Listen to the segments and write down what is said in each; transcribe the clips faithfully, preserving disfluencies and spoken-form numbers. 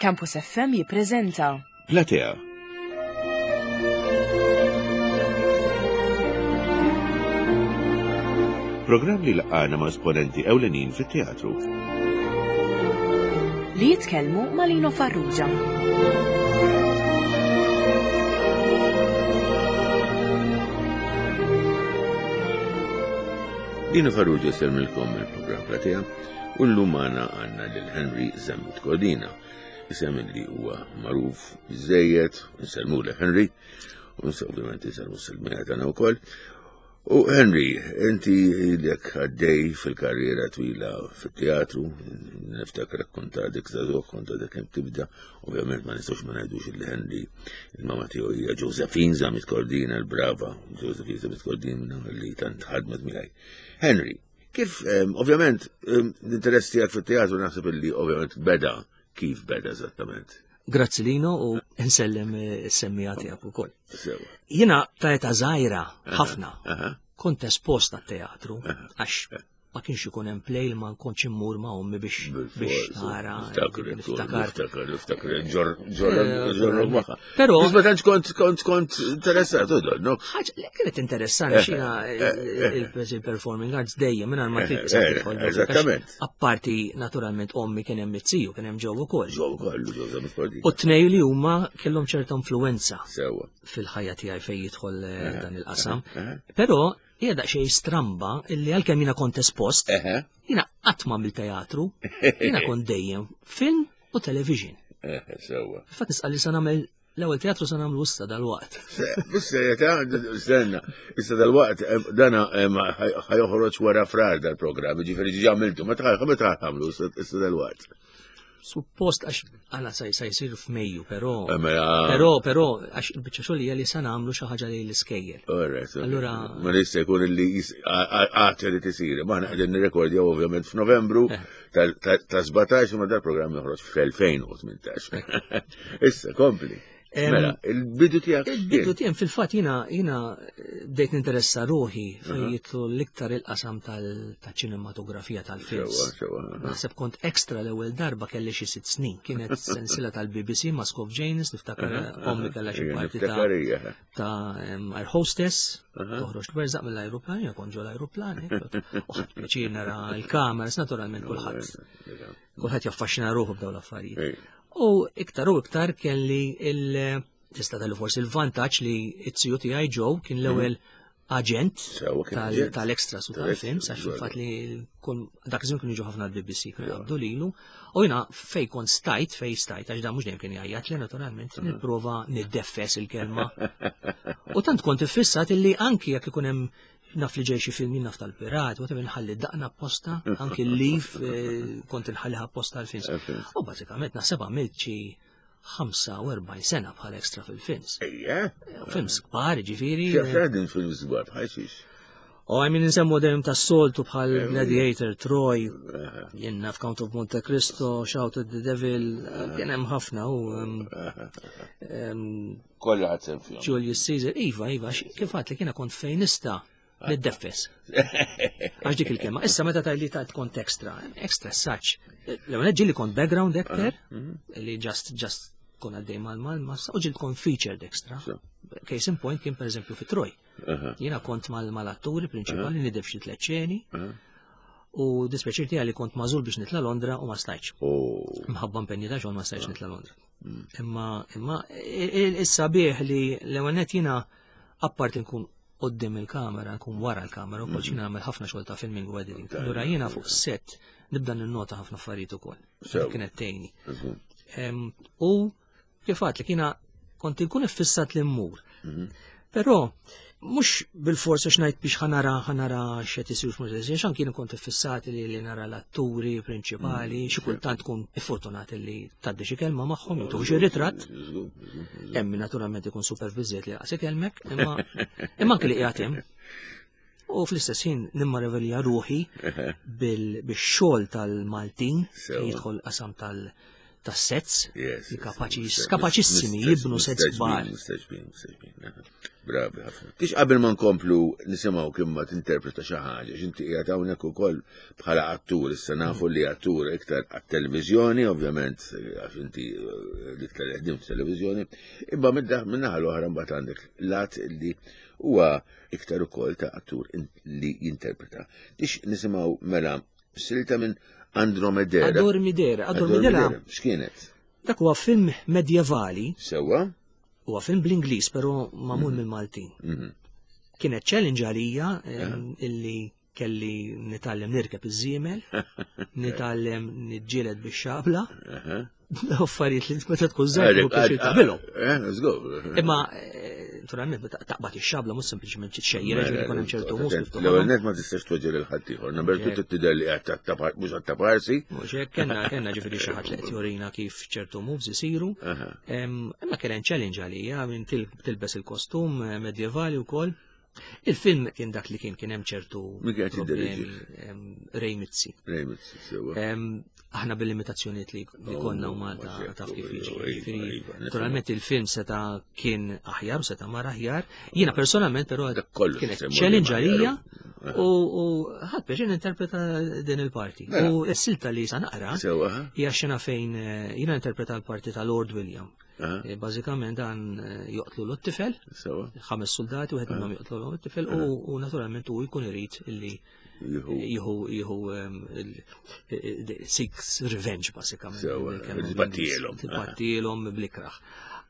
Campus F M jippreżenta Platea. Programm li laqana ma' esponenti ewlenin fit-teatru. Li jitkellmu ma' Lino Farrugia. Lino Farrugia sellmilkom il-programm Platea u llum magħna għandna lil Henry Zammit Cordina. Isem li huwa magħruf biżejjed, nsellmu lil Henry, u ovvjament insellmu s-selmija tagħna wkoll. U Henry, inti ilek għaddej fil-karriera twila fit-teatru, niftakar kont għadek żagħżugħ, kont għadek kemm tibda, ovvjament ma nistgħux ma ngħidux li Henry, il-mama tiegħu hija Josephine Zammit Cordina, l-brava Josephine Zammit Cordina li tant ħadmet miegħi. Henry, kif, ovvjament, l-interess tiegħek fit-teatru naħseb li ovvjament beda, kif beda eżattament? Grazzi Lino u nsellem is-semmija tiegħek ukoll. Jiena ta' età żgħira ħafna kont espost għat-teatru għax ma kienx ikun hemm play li ma nkontx immur ma' ommi biex biex nara. Niftakar, niftakar, niftakar, ġorrok magħha. Però ma tantx kont kont kont interessat, no? Ħaġa li kienet interessanti xina il-performing arts dejjem mingħajr ma trid tidħol. Eżattament. Apparti naturalment ommi kien hemm it-tiju, kien hemm ġew ukoll. Ġew ukoll, ġew. U t-tnej li huma kellhom ċerta influenza fil-ħajja tiegħi fejn jidħol dan il-qasam. Però hija daqsxejn stramba illi għalkemm jiena kont espost, jiena qatt ma għamilt teatru, jiena kont dejjem film u television. Sewwa. Fatt nisqal li se nagħmel l-ewwel teatru se nagħmlu issa dal-waqt. Bis-serjetà, stenna, issa dal-waqt dana ħajoħroġ wara frar dal-programm, jiġifieri ġi għamiltu, meta meta ħamlu issa dal-waqt. Suppost għax għala sa jsir f'Mejju, però però però għax il-biċċa xogħol hija li se nagħmlu xi ħaġa lejn l-iskejjel. Allura ma jista' jkun li għad irid isir. Ma aħna qegħdin nirrekordjaw ovvjament f'Novembru ta' sbatax ma dal-programm joħroġ fl-elfejn u tmintax. Issa kompli. Mela, il-bidu tiegħek. Il-bidu tiegħek fil-fatt jiena jiena bdejt ninteressa ruħi fejn jitlu l-iktar il-qasam tal-ċinematografija tal-films. Naħseb kont ekstra l-ewwel darba kelli xi sitt snin. Kienet sensila tal-B B C Mask of Janus, niftakar ommi kellha xi parti ta' ta' air hostess, toħroġ twerżaq mill-ajruplan, jiena kont ġol ajruplan, u ħadt pjaċir nara l-kameras, naturalment kulħadd. Kulħadd jaffaxxina ruħu b'dawn l-affarijiet. U iktar u iktar kelli il- tista' tagħli forsi il-vantaġġ li it-tiju tiegħi Joe kien l-ewwel aġent tal-extras u tal-films, għax fil-fatt li dak iż-żmien kienu jiġu ħafna l-B B C, kienu jaqbdu lilu, u jiena fej kont stajt, fej stajt, għax dan mhux dejjem kien jgħajjat li naturalment nipprova niddeffes il-kelma. U tant kont iffissat illi anki jekk ikun hemm naf li ġej xi film naf tal-pirat, whatever, nħalli daqna apposta, anki l-leave kont nħalliha apposta għal-films. U bażikament naħseb għamilt xi ħamsa u erbgħin sena bħala extra fil-films. Ejja. Films kbar, ġifieri. X'għadin films kbar bħal xiex? U għajmin nsemmu dejjem tas-soltu bħal Gladiator, Troy, jien naf Count of Monte Cristo, Shout at the Devil, kien hemm ħafna u Kollha ħadd sehem fihom. Julius Caesar, iva, iva, kif għedt li kiena kont fejn nista' niddeffes. Għax dik il-kelma. Issa meta tajli ta' kont extra, extra such. L-ewwel ġieli kont background actor, li just, just kon għaddej mal-mal, ma u ġieli kont featured extra. Case in point kien per eżempju fi Troy. Jiena kont mal-atturi prinċipali nidef xi tliet xeni. U dispjaċir tiegħi li kont magħżul biex nitla' Londra u ma stajtx. Mħabba impenji ta' xogħol ma stajtx nitla' Londra. Imma imma is-sabiħ li l-ewwel nett jiena apparti nkun qoddim il-kamera, nkun wara l-kamera, u kol nagħmel ħafna xogħol ta' filming u editing. Allura jiena fuq set nibda ninnota ħafna affarijiet ukoll. Kienet tgħinni. U kif għedt li kiena kont inkun iffissat li mmur. Però mhux bil-forsa x'ngħid biex ħanara ħanara x'qed isir x'mhux qed isir, x'anki kont iffissat li, li nara l-atturi prinċipali, xi kultant tkun iffortunat li tgħaddi xi kelma magħhom, jew tieħu xi ritratt. Hemm naturalment ikun superviżiet li qas ikellmek, imma imma anke li qiegħed hemm. U fl-istess ħin nimmarvelja ruħi bix-xogħol tal-Maltin fejn jidħol qasam tal- ta' sets li kapaċi kapaċissimi jibnu sets kbar. Bravi ħafna. Tix qabel ma nkomplu nisimgħu kien ma tinterpreta xi ħaġa, x'inti qiegħed hawnhekk ukoll bħala attur, issa nafu li attur iktar għat-televiżjoni, ovvjament għax inti l-iktar li ħdimt f'televiżjoni, imma min-naħa l-oħra mbagħad għandek lat li huwa iktar ukoll ta' attur li jinterpreta. Tix nisimgħu mela silta minn Andromedera. Adormidera. Adormidera. X'kienet? Dak huwa film medjevali. Sewwa. Huwa film bl-Ingliż, però magħmul mill-Maltin. Kienet challenge għalija illi kelli nitgħallem nirkeb iż-żiemel, nitgħallem niġġieled bix-xabla. Affarijiet li meta tkun żgħir biex tagħmilhom. Imma naturalment taqbad ix-xabla mhux sempliċement tixxejjer, ġifieri jkun hemm ċertu mus kif L-ewwel net ma tistax tweġġel il ħadd ieħor. Number two tidher li qed mhux għat-taparsi. Mhux hekk kellna kellna ġifieri xi ħadd li qed jurina kif ċertu moves isiru. Imma kien hemm challenge għalija minn tilbes il-kostum medjevali wkoll. Il-film kien dak li kien kien hemm ċertu problemi Ray Mizzi. Ray Mizzi, sewwa. Aħna bil-limitazzjonijiet li konna u Malta taf kif jiġi. Naturalment il-film seta kien aħjar u seta mar aħjar. Jiena personalment però kienet challenge għalija u ħadd biex ninterpreta din il-parti. U s-silta li sa naqra hija xena fejn jiena interpreta l-parti ta' Lord William. Bażikament dan joqtlu l-tifel, ħames soldati, wieħed minnhom joqtlu l-tifel u naturalment hu jkun irid illi jieħu jieħu seeks revenge bażikament. Tbattielhom. Tbattielhom blikraħ.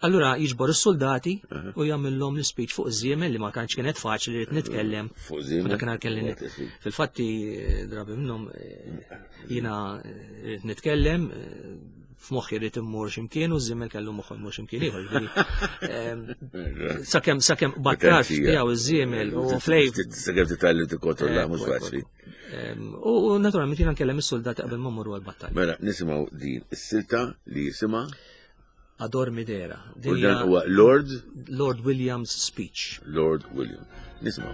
Allura jiġbor is-soldati u jagħmilhom l-speech fuq iż-żiemel li ma tantx kienet faċli li nitkellem. Fuq żiemel. Dakinhar kelli fil-fatti drabi minnhom jiena rrid nitkellem f'moħħi rrid immur x'imkien u ż-żiemel kellu moħħu jmur x'imkien ieħor. Sakemm sakemm battar tiegħu iż-żiemel u flejf. Sakemm titgħallem tikkontrolla mhux faċli. U naturalment jiena nkellem is-soldati qabel ma mmorru għall-battalja. Mela nisimgħu din is-silta li jisimha Adormidera. U dan huwa Lord Lord William's speech. Lord William. Nisimgħu.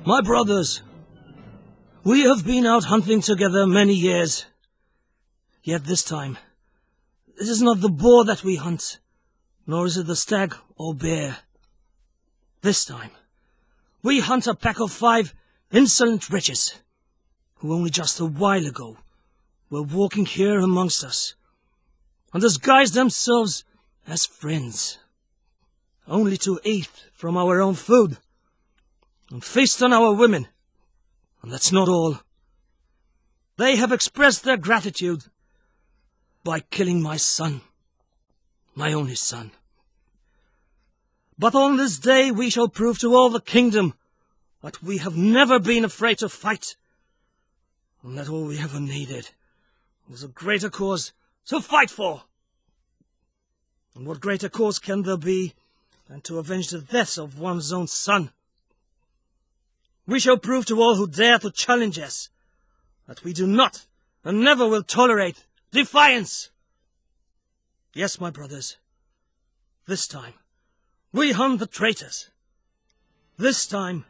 My brothers, we have been out hunting together many years. Yet this time, it is not the boar that we hunt, nor is it the stag or bear. This time, we hunt a pack of five insolent wretches, who only just a while ago were walking here amongst us, and disguised themselves as friends, only to eat from our own food, and feast on our women. And that's not all. They have expressed their gratitude by killing my son, my only son. But on this day we shall prove to all the kingdom that we have never been afraid to fight, and that all we ever needed was a greater cause to fight for. And what greater cause can there be than to avenge the death of one's own son? We shall prove to all who dare to challenge us that we do not and never will tolerate defiance. Yes, my brothers, this time we hunt the traitors. This time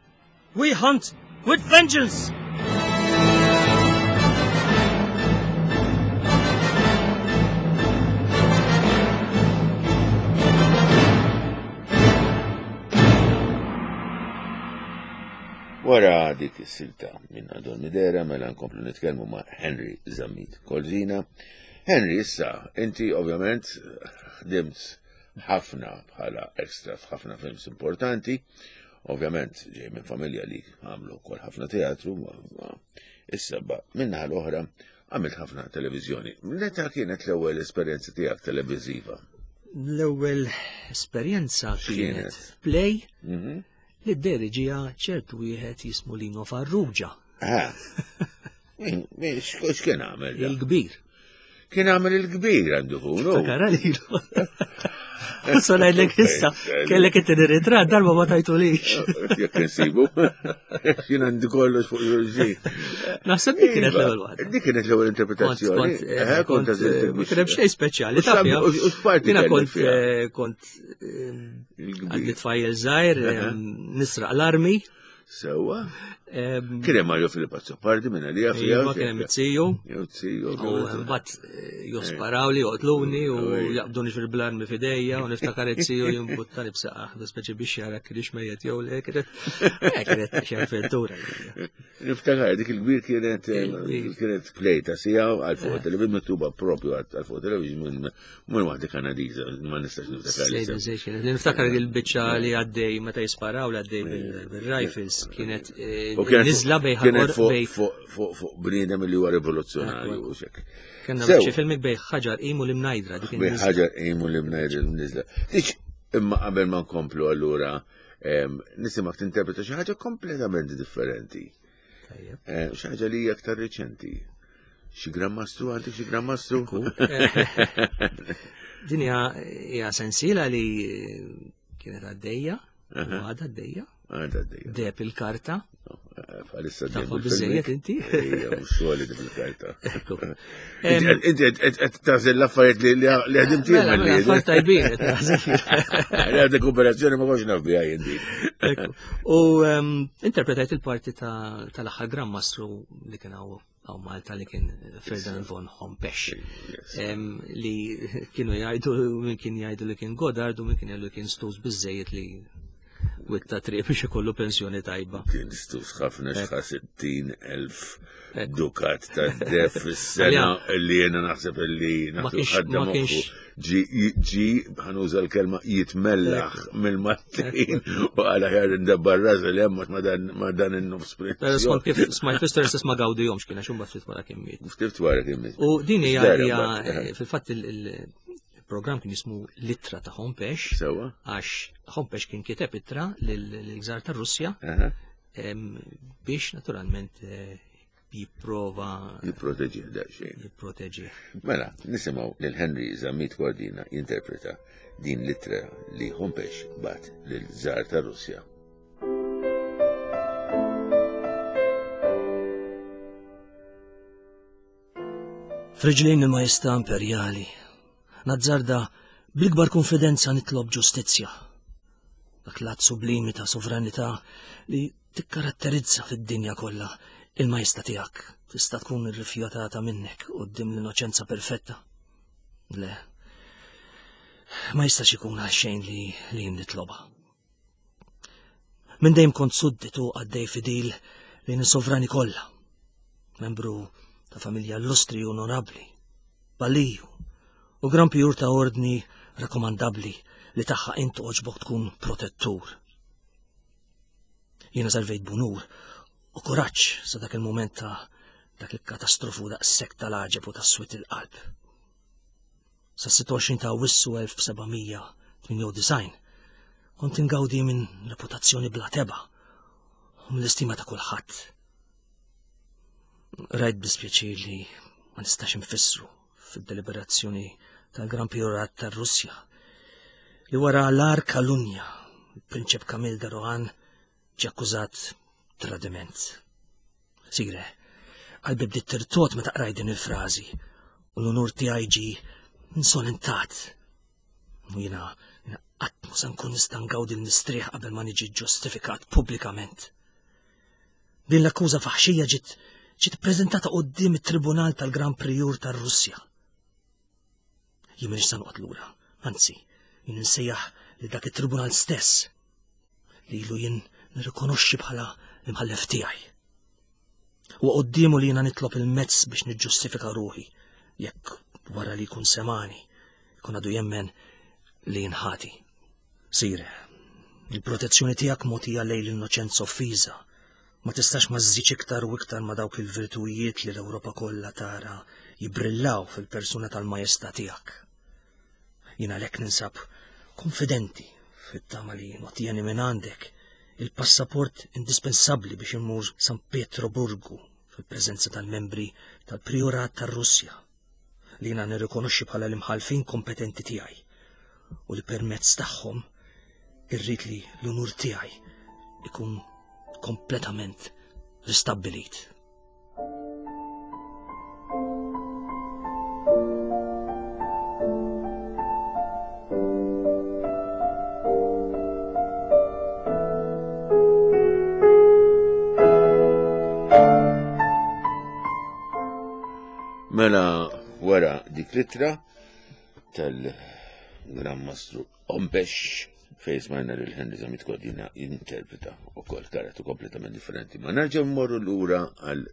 we hunt with vengeance. Wara dik is-silta minn Adormidera mela nkomplu nitkellmu ma' Henry Zammit Cordina. Henry, issa, inti ovvjament ħdimt ħafna bħala extra f'ħafna films importanti. Ovvjament ġej minn familja li għamlu wkoll ħafna teatru, issa minnaħa l-oħra għamilt ħafna televiżjoni. Meta kienet l-ewwel esperjenza tiegħek televiżiva? L-ewwel esperjenza kienet play li d-deriġija ċertu wieħed jismu Lino Farrugia. Ah, x'kien għamel? Il-kbir. Kien għamel il-kbir għandu hu. Takara lilu. U ngħidlek issa, kellek it-tieni ritratt darba ma tajtulix. Jekk insibu. Jien għandi kollox fuq xulxin. Naħseb dik kienet l-ewwel waħda. Dik kienet l-ewwel interpretazzjoni. Kont kien hemm xejn speċjali. U x'parti Jiena kont kont għandi tfajjel żgħir nisraq l-armi. Sewwa. Kien hemm Mario Filippo Azzopardi minn għalija fija. Kien hemm it-siju. It-siju. U mbagħad josparaw li joqtluni u jaqbduni fil-blarmi f'idejja u niftakar it-siju jimbuttani b'saqaħ, speċi biex jara kienx mejjet jew le, kienet kienet xi avventura. Niftakar dik il-kbir kienet kienet play ta' sija għal fuq television miktuba propju għal fuq television minn waħda Kanadiża, ma nistax niftakar. Niftakar il-biċċa li għaddej meta jisparaw li għaddej bil-rifles kienet nizla bej kienet fuq bniedem li huwa rivoluzzjonarju u xek. Kenna xi filmik bej ħaġar qimu l-imnajdra dik Bej ħaġar qimu l-imnajdra nizla. Tiċ imma qabel ma nkomplu allura nisimgħek tinterpreta xi ħaġa kompletament differenti. Xi ħaġa li hija aktar riċenti. Xi Gran Mastru għandek xi Gran Mastru? Din hija sensiela li kienet għaddejja, u għadha għaddejja. Għadha għaddejja. Deb il-karta. Għalissa Tafa biżejjed inti? Ejja, mhux xogħli deb il-karta. Inti qed tagħżel l-affarijiet li ħdimt jien. Mela, affarijiet tajbin qed tagħżel. Għadek operazzjoni ma kontx naf biha jien din. U interpretajt il-parti tal-aħħar Gran Mastru li kien hawn għaw Malta li kien Ferdinand von Hompesch. Li kienu jgħidu, min kien jgħidu li kien Godard u min kien jgħidu li kien stus biżejjed li witta triq biex ikollu pensjoni tajba. Kien stus ħafna xħa sittin elf dukat ta' def fis-sena li jena naħseb li ħadda moħħu ġi ħanuża l-kelma jitmellaħ mill-Maltin u għala ħjar ndabbar ras li hemm ma dan in-nofs. Però skont kif smajt fl-istorja stess ma gawdihomx kien għax imbagħad ftit wara kien miet. Ftit wara kien miet. U din hija fil-fatt il-programm kien jismu L-Ittra ta' Hompesch. Sewa. Għax Hompesch kien kiteb ittra lill-Gżar tar-Russja biex naturalment jipprova jipproteġih daqsxejn. Jipproteġih. Mela, nisimgħu lil Henry Zammit Cordina jinterpreta din l-ittra li Hompesch bat lill-Żar tar-Russja. F'riġlejn il-Majestà Imperjali, nazzarda bl-ikbar konfidenza nitlob ġustizzja. Dak l-att sublimi ta' sovranità li tikkaratterizza fid-dinja kollha il-majestà tiegħek tista' tkun irrifjutata minnek quddiem l-innoċenza perfetta. Le, ma jistax ikun għal xejn li li nitlobha. Minn dejjem kont sudditu għaddej fidil lejn is-sovrani kollha, membru ta' familja illustri u onorabbli, baliju u gran pjur ta' ordni rakkomandabbli li tagħha int oġbok tkun protettur. Jiena servejt b'unur u kuraġġ sa dak il-mument ta' dak il-katastrofu daqshekk tal-għaġeb u tas-swit il-qalb. Sa sitta u għoxrin ta' Awwissu elf seba' mija tmienja u disgħin kont ingawdi minn reputazzjoni bla teba u mill-istima ta' kulħadd. Rajt bispjaċir li ma nistax infissru fid-deliberazzjoni tal-Gran Priorat tar-Russja li wara l-ar kalunja il-Prinċep Kamil de Rohan ġie akkużat tradiment. Sire, qalbi bdiet tirtot meta qrajt din il-frażi u l-unur tiegħi ġie insolentat. U jiena qatt ma se nkun nista' ngawdi l-mistrieħ qabel ma niġi ġustifikat pubblikament. Din l-akkuża faħxija ġiet ġiet ippreżentata quddiem it-Tribunal tal-Gran Prijur tar-Russja. Jien m'iniex se noqgħod lura, anzi, jien insejjaħ li dak it-tribunal stess li ilu jien nirrikonoxxi bħala l-imħallef tiegħi. U quddiemu li jiena nitlob il-mezz biex niġġustifika ruħi jekk wara li jkun semani jkun għadu jemmen li jinħati. Sire, il-protezzjoni tiegħek mogħtija lejn l-innoċenza offiża ma tistax ma żżidx iktar u iktar ma dawk il-virtujiet li l-Ewropa kollha tara jibrillaw fil-persuna tal-majestà tiegħek. Jien għalhekk ninsab konfidenti fit-tama li notjeni minn għandek il-passaport indispensabbli biex immur San Pietroburgu fil-preżenza tal-membri tal-Priorat tar-Russja li jiena nirrikonoxxi bħala l-imħalfin kompetenti tiegħi u li permezz tagħhom irrid li l-unur tiegħi ikun kompletament ristabbilit. dik l-ittra tal-Gran Mastru Hompesch fejn smajna lil Henry Zammit Cordina jinterpreta ukoll karattru kompletament differenti. Ma nerġa' mmorru lura għal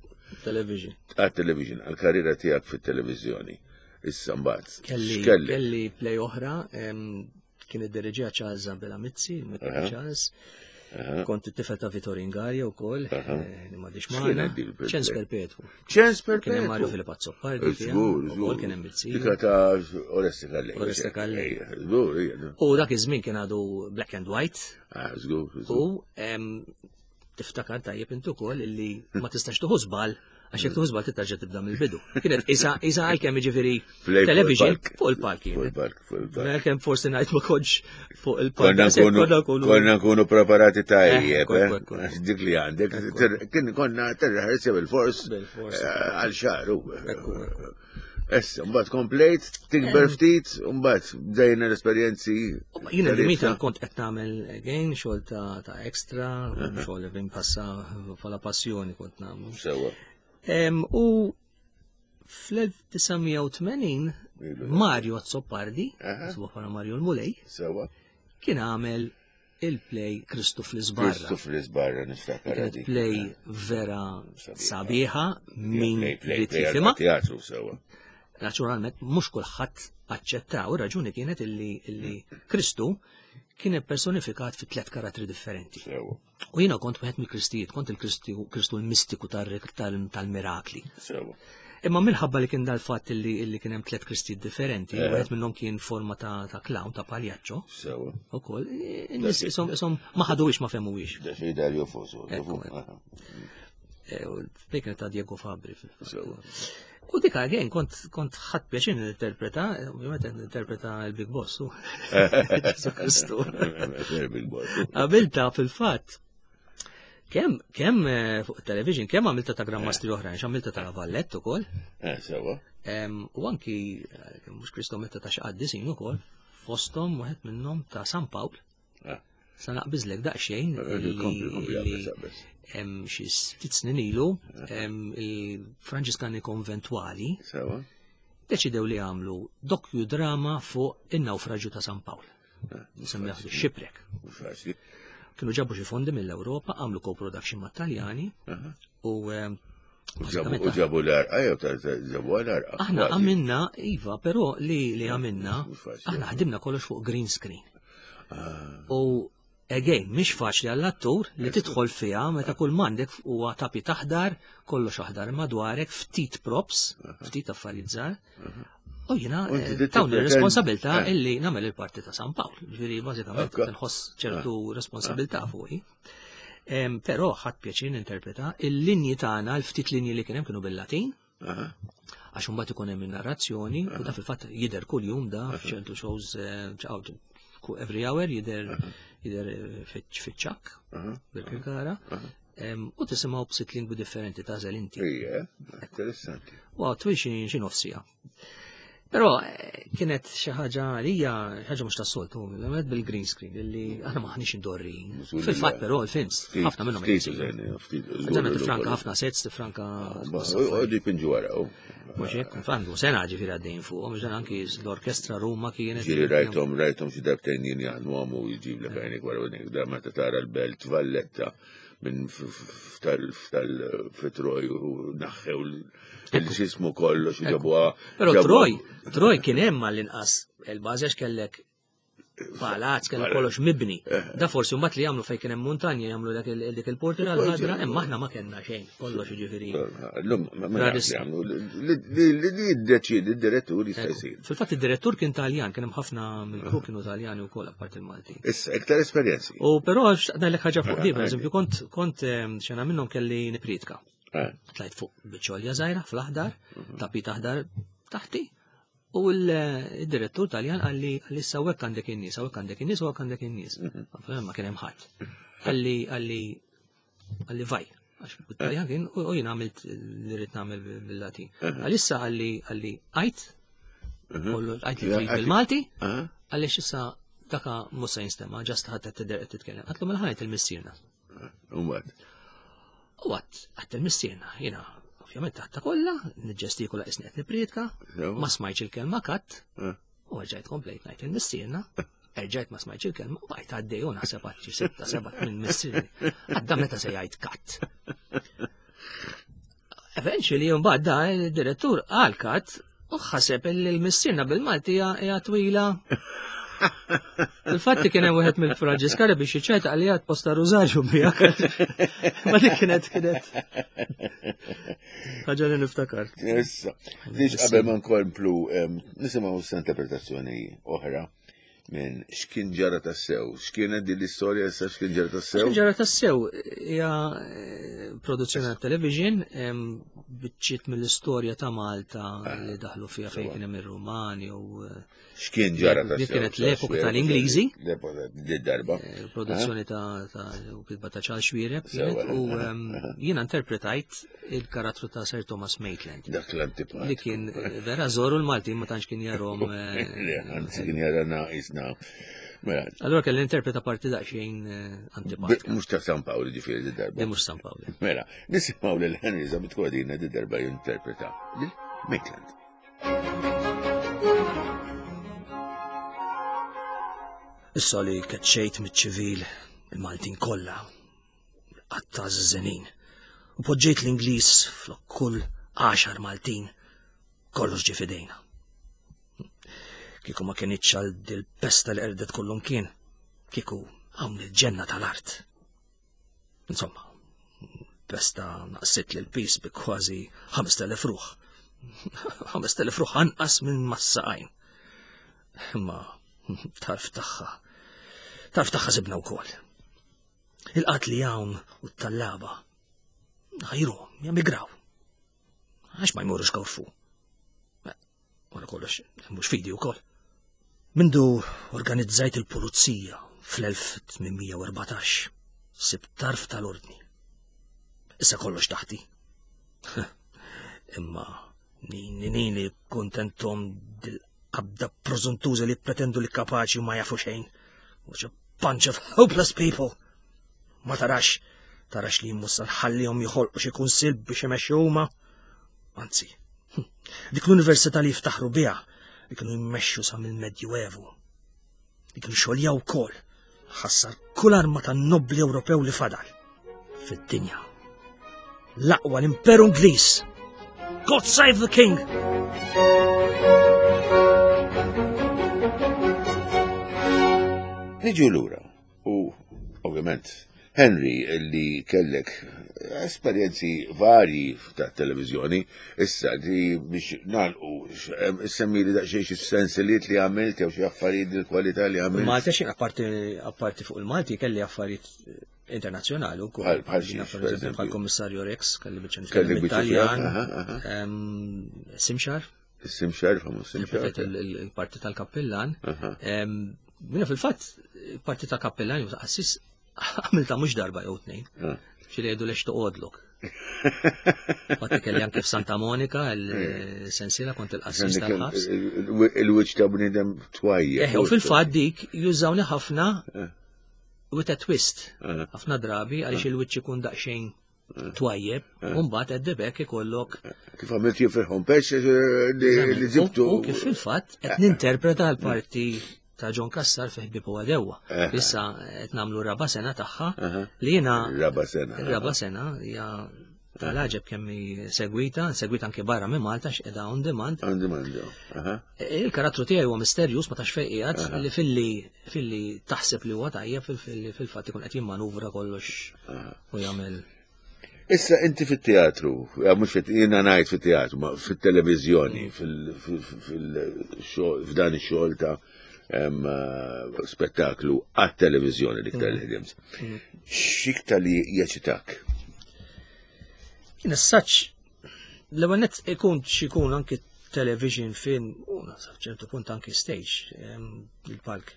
Television. Għal-television, għal-karriera tiegħek fit-televiżjoni. Issa mbagħad. Kelli x'kellek? Kelli play oħra, em, kien id-diriġija Charles Abela Mizzi, il-Mister Charles. Kont it-tifel ta' Vittorio Ingaria wkoll, eh, li m'għadix X'kienet magħna. dik il-play? Ċens Perpetwu. Ċens Kien hemm Mario Perpetwu. Filip Azzopardi fiha, Żgur, ukoll żgur. kien hemm Mizzi. Dika ta' Oreste Calleja. Oreste Calleja. Żgur, ija. U dak iż-żmien kien għadu black and white Ah, żgur, żgur. u em, tiftakar tajjeb intu ukoll illi ma tistax tuħu żball, għax jekk tuħu żball tittarġa' tibda mill-bidu. Kienet isa isa għalkemm jiġifieri Play fuq television il-palk. fuq il-palk Fuq kienet. il-palk, fuq il-palk. Għalkemm forsi ngħid ma kontx fuq il-palk. Konna Għax hekk nkunu konna konna nkunu preparati tajjeb, Ekku, eh? ekku, ekku. Għax dik li għandek, Ekku. ter- kien konna terreħersja bil-fors Bil-fors. eh, għal xahar. u. Ekku, ekku. Issa, mbagħad komplejt, tikber ftit, mbagħad bdejna l-esperjenzi. Jiena tariffa. Dimitra kont qed nagħmel again xogħol ta' ta' extra, xogħol li passa bħala passjoni kont nagħmlu. Sewa. Em, U fl-elf disa' mija u tmenin Ilu. Mario Azzopardi, Aha. ismu bħala Mario l-Mulej, Sewa. kien għamel il-play Kristu fl-Isbarra. Kristu fl-Isbarra niftakar Kienet dik. play vera Sabiħa. sabiħa min Play, play, rid play jifhimha. għal teatru sewa. Naturalment, mhux kulħadd aċċettaw, ir-raġuni kienet illi, illi Kristu kien personifikat fi tliet karattri differenti. Sewa. U jiena kont wieħed mill-Kristijiet, kont il-Kristu Kristu l-mistiku tar- tal- tal-mirakli. Sewa. Imma minħabba li kien dal-fatt illi, illi kien hemm tliet Kristijiet differenti, Eh. wieħed minnhom kien forma ta', ta' clown, ta' paljaċċo, Sewa. ukoll, in-nies isom isom ma ħaduwix, ma fehmuwix. Da xej Dario Fo. Ekku, ekku. Eh, u l-play kienet ta' Diego Fabri. fil-fatt. Sewa. U dik again, kont kont ħadt pjaċir ninterpreta, ovvjament qed ninterpreta l-Big Boss, u Ġesu Kristu. Big Boss. Għamilta fil-fatt, kemm kemm eh, fuq television, kemm għamilta ta' Gran Mastri oħrajn, għamilta ta' Valletta ukoll, Eh, sewa. em, u anki eh, kemm mhux Kristu, għamilta ta' xi qaddisin ukoll, fosthom wieħed minnhom ta' San Pawl. Ah. Sa naqbiżlek daqsxejn Eh, illi- Kompli, kompli, illi għabbes, għabbes. em, xi ftit snin ilu em, il-Franġiskani Konventwali Sewa. deċidew li għamlu docudrama fuq in-nawfraġju ta' San Pawl. Semmejh Shipwreck. Mhux faċli. Kienu ġabu xi fondi mill-Ewropa, għamlu co-production mat-Taljani u em, U ġabu- bażikament U ġabu l-arqa, jew ta' ta' ġabu l-arqa. aħna għamilna, iva, però li li għamilna, Mhux faċli. aħna ħdimna kollox fuq green screen. Ah. U again, mhix faċli għall-attur li tidħol fiha meta kull m'għandek huwa tapit aħdar, kollox aħdar madwarek, ftit props, ftit affarijiet żgħar. U jiena U inti eh, trid tawni tippretend- responsabilità eh. illi nagħmel il-parti ta' San Pawl. Ġifieri bażikament Ekka. nħoss ċertu responsabilità fuqi. Em, Però ħadt pjaċir ninterpreta il-linji tagħna, l-ftit linji li kien hemm kienu bil-Latin, Aha. għax imbagħad ikun hemm in-narrazzjoni u da fil-fatt jidher kuljum da f'ċertu shows eh, ċaw, ku- every hour jidher jidher eh, fiċ-ċakk Aha. bil-Kirkara Em, u tisimgħu b'sitt lingwi differenti tagħżel inti. Ija, interessanti. Wow, twil xi xi nofsija. Però eh, kienet xi ħaġa għalija ħaġa mhux tas-soltu, għamlet bil-green screen illi aħna maħniex indorrin. Żgur Fil-fatt li- però il-films Ftit- ħafna minnhom Ftit, jeżistu. użajna, ftit. Ġana tifranka ħafna sets, tifranka U di pinġu wara, u. Mhux hekk, għandu sena ġifieri għaddejn fuq, mhux dan anki l-orkestra Ruma kienet. Ġiri rajtom, rajtom xi darbtejn jien jaħdmu għamu jġib l għajnek wara u da meta tara l-belt Valletta minn ftal fitroj u naħħew il-xismu kollox u ġabuha. Però ġabuha- Troy, Troy kien hemm għall-inqas il-bażi għax kellek palazz, kellek kollox mibni. Da forsi mbagħad li jagħmlu fejn kien hemm muntanja jagħmlu dak il- dik il-portira l-ħadra, imma aħna ma kellna xejn, kollox jiġifieri. L-lum, ma ma Radis- nafx jagħmlu, li li- li jiddeċiedi d-direttur jista' jsir. Fil-fatt id-direttur kien Taljan, kien hemm ħafna mill-kru kienu Taljani wkoll apparti il-Malti. Issa, iktar esperjenzi. U però ngħidlek ħaġa fuq di, per eżempju, kont kont em, xena minnhom kelli nipritka. Eh, Tlajt fuq biċċolja żgħira fl-aħdar, tapit aħdar taħti. U l-direttur Taljan qalli qalli sawek għandek in-nies, hawnhekk għandek in-nies, hawnhekk għandek in-nies. Ma kien hemm ħadd. Qalli qalli qalli vaj. Għax bit-Taljan kien u jien għamilt li rrid nagħmel bil-Latin. Għalissa qalli qalli għajt, kollu għajt li trid bil-Malti, ah, għaliex issa daka mhux se jinstema', just ħadd qed tidher qed titkellem. Għatlu mela ħa ngħid il-missierna. Umbagħad. U għat, għat il-missierna, jena, Ovvjament taħta kollha, niġġestikula qisni qed nippriedka, ma smajtx il-kelma cut, Eh. u rġajt komplejt ngħid il-missierna, erġajt ma smajtx il-kelma, u bqajt għaddej u naħseb għad xi sitta seba' minn missieri. Għadda meta se jgħid cut. Eventually, mbagħad da il-direttur qal cut u ħaseb li l-missierna bil-Malti hija hija twila. Il-fatti kien hemm wieħed mill-Franġiskari biex jiċċajta għalli għad posta rużarju miegħek. Ma dik kienet kienet. Ħaġa li niftakar. Issa, biex qabel ma nkomplu em, nisimgħu issa interpretazzjoni oħra minn x'kien ġara tassew. X'kienet din l-istorja issa x'kien ġara tassew? X'kien ġara tassew hija eh, produzzjoni ta' television em, biċċiet mill-istorja ta' Malta li daħlu fiha fejn kien hemm ir-Rumani u eh, X'kien ġara Dik tassew? kienet l-epoka tal-Ingliżi. L-epoka di darba. eh, produzzjoni ta' ta' u kitba ta' Charles Xuereb Sewa. kienet u em, jiena interpretajt il-karattru ta' Sir Thomas Maitland Dak l-antipat. li kien eh, vera zoru l-Malti ma tantx kien jarahom. eh, Le, anzi kien jara naqisna. Mela, Allora kelli interpreta parti daqsxejn eh, antipatika. mhux ta' San Pawl ġifieri di darba. Di mhux San Pawl. Mela, nisimgħu lil Henry Zammit Cordina di darba jinterpreta lil Maitland. Issa li keċċejt miċ-ċivil il-Maltin kollha, qatta żenin, u poġġejt l-Ingliż flok kull għaxar Maltin, kollox ġie f'idejna. Kieku ma kienitx għal dil-pesta li qerdet kullum kien, kieku hawn il-ġenna tal-art. Insomma, pesta naqsit l pis bi kważi ħamest elef ruħ. ħamest elef ruħ anqas minn mas-saqajn. Imma tarf tagħha. Tarf tagħha sibna wkoll. Il-qat li hawn u t-tallaba. Ħajru, jemigraw. Għax ma jmurux Korfu. Wara kollox, mhux fidi wkoll. Mindu organizzajt il-pulizija fl-elf tmien mija u erbatax, sib tarf tal-ordni. Issa kollox taħti. Imma nini nini kontentom dil-qabda preżuntuża li pretendu li kapaċi u ma jafu xejn. What a bunch of hopeless people. Ma tarax, tarax li mussa nħallihom joħolqu xi kunsill biex imexxu huma. Anzi, dik l-università li jiftaħru biha li kienu jmexxu sa mill-Medjuevu. Li kienu xoljaw wkoll ħassar kull arma tan-nobli Ewropew li fadal fid-dinja. L-aqwa l-Imperu Ingliż. God save the King! Niġu lura u ovvjament Henry li kellek esperjenzi varji ta' televizjoni, issa di biex nagħlqu, semmi li daqsxejn xi sensiliet li għamilt jew xi affarijiet il-kwalità li għamilt. Malta xejn apparti apparti fuq il-Malti kelli affarijiet internazzjonali wkoll. Bħal- bħal xiex, Jiena, per per eżempju, eżempju? bħal Kommissarju Rex, kelli biċċa Kelli nitkellem biċċa Italjan, aha, aha. em, Simxar, Simxar, famuż Simxar. interpretajt il- il- il-parti tal-kappillan. Aha. Em, Jiena fil-fatt, il-parti tal-kappillan jew ta' qassis għamilta mhux darba jew tnejn. Ah. Xi li jgħidu lex toqgħodlok. Fatti kelli anke f'Santa Monica il-sensiela kont il-qassis tal-ħabs. Il-wiċċ ta' bniedem twajja. Eh, u fil-fatt dik jużawni ħafna with a twist. Eh. Ħafna drabi għaliex il-wiċċ ikun daqsxejn twajjeb, u mbagħad at the back ikollok Kif għamilt jifirħom pex li li ġibtu. U kif fil-fatt qed ninterpreta l-parti ta' John Cassar fi Ħbieb u Għedewwa. Eh. Issa qed nagħmlu raba sena tagħha Aha. li jiena Raba sena. raba sena hija tal-għaġeb kemm hi segwita, segwita anke barra minn Malta x'qiegħda on demand. On demand. Aha. Il-karattru tiegħi huwa misterjus ma tax fejn qiegħed li filli filli taħseb li huwa tajjeb fil- fil-fatt ikun qed jimmanuvra kollox u jagħmel Issa inti fit-teatru, ja, mhux fit jiena ngħid fit-teatru, ma fit-televiżjoni, fil-xogħol f'dan ix-xogħol ta' em, eh, spettaklu għat-televiżjoni l-iktar li ħdimt. X'iktar li jeċitak? Jien as-saċ l-ewwel nett ikun x'ikun anki television, film, u sa ċertu punt anki stage, em, il-palk.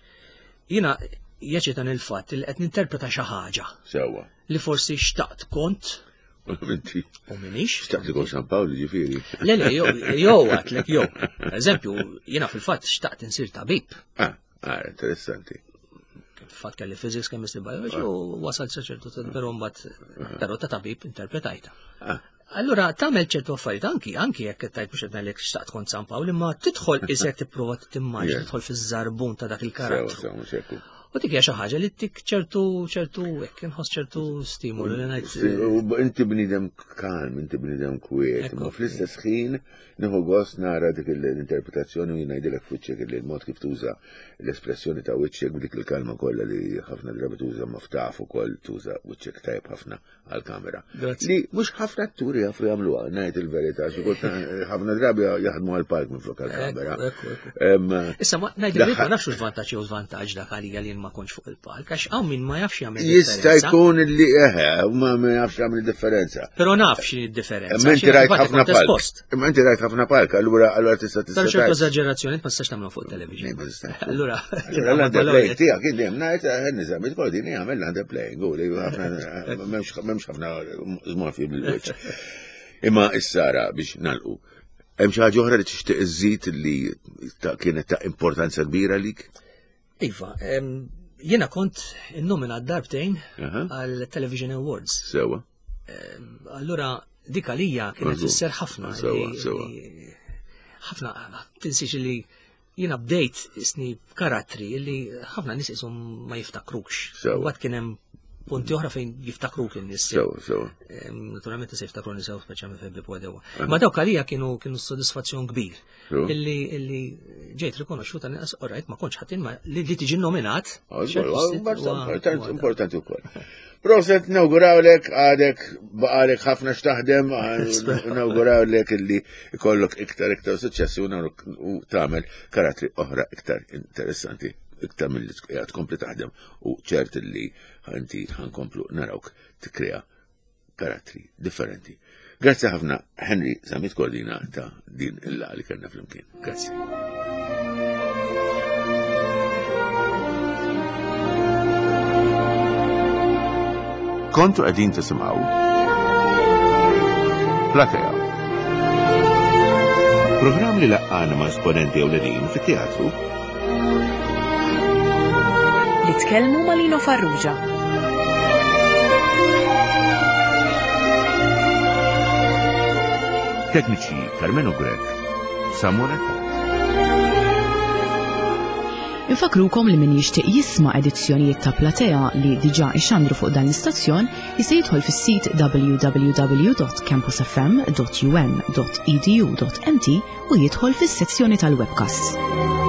Jiena jeċitan il-fatt li qed ninterpreta xi ħaġa Sewwa. li forsi xtaqt kont Inti u minix. xtaqt li kont San Pawl ġifieri. Le, le, jew, jew għatlek, jew. Eżempju, jiena fil-fatt xtaqt insir tabib. Ah, ah, interessanti. Fil-fatt kelli physics, chemistry, biology u wasalt sa ċertu, però mbagħad però ta' tabib interpretajta. Ah. Allura tagħmel ċertu affarijiet anki anki jekk qed tgħid mhux qed ngħidlek xtaqt kont San Pawl, imma tidħol isek tipprova timmaġina tidħol fiż-żarbun ta' dak il-karattru. U dik hija xi ħaġa li tik ċertu ċertu hekk inħoss ċertu stimolu li ngħid. Inti bniedem kalm, inti bniedem kwiet, ma fl-istess ħin nieħu gost nara dik l-interpretazzjoni u jien ngħidilek f'wiċċek li l-mod kif tuża l-espressjoni ta' wiċċek b'dik il-kalma kollha li ħafna drabi tuża ma ftaf ukoll tuża wiċċek tajjeb ħafna għall-kamera. Li mhux ħafna atturi jafu jagħmluha, ngħid il-verità, xi kultant ħafna drabi jaħdmu għall-palk minflok għall-kamera. Issa ma ngħid il-verità ma nafx x'vantaġġ jew żvantaġġ dak għalija li ma kontx fuq il-palk, għax hawn min ma jafx jagħmel differenza. Jista' jkun li eħe, ma jafx jagħmel differenza. Però naf x'inhi d-differenza. Imma inti rajt ħafna palk. Imma inti rajt ħafna palk, allura allura tista' tista' Però ċertu eżaġerazzjoni ma tistax tagħmlu fuq television. Allura l-underplaying tiegħek kien dejjem ngħid niżam il-kodini jagħmel l-underplaying u li ħafna m'hemmx ħafna żmorfi bil-wiċċ. Imma issara biex nagħlqu. Hemm xi ħaġa oħra li tixtieq iżżid li kienet ta' importanza kbira lik? Iva, jiena kont innominat darbtejn għal Television Awards. Sewa. Allura dik għalija kienet tfisser ħafna. Sewa, sewa. Ħafna, tinsiex li jiena bdejt isni karattri li ħafna nies ishom ma jiftakrux. Mbagħad kien hemm punti oħra fejn jiftakruk in-nies. Sewa, sewa. Naturalment se jiftakru nies speċjalment fejn bibu għadewa. Ma dawk għalija kienu kienu sodisfazzjon kbir. Illi illi ġejt rikonoxxuta nqas orajt ma kontx ħadd ma li tiġi nominat. Importanti wkoll. Proset, nawgurawlek, għadek baqalek ħafna x'taħdem, nawgurawlek illi ikollok iktar iktar suċċessi u tagħmel karattri oħra iktar interessanti, iktar mill-li tkompli taħdem u ċert li inti ħankomplu narawk tikkrea karattri differenti. Grazzi ħafna Henry Zammit Cordina ta' din il-laqgħa li kellna flimkien. Grazzi. Kontu qegħdin tisimgħu Platea. Programm li laqqana ma' esponenti ewlenin fit-teatru. Li tkellmu ma' Lino Farrugia. Tekniċi Carmelo Grech, Samuel Attard. Infakrukom li min jixtieq jisma' edizzjonijiet ta' Platea li diġà ixandru fuq dan l-istazzjon jista' jidħol fis-sit w w w dot campus f m dot u m dot e d u dot m t u jidħol fis-sezzjoni tal-webcasts.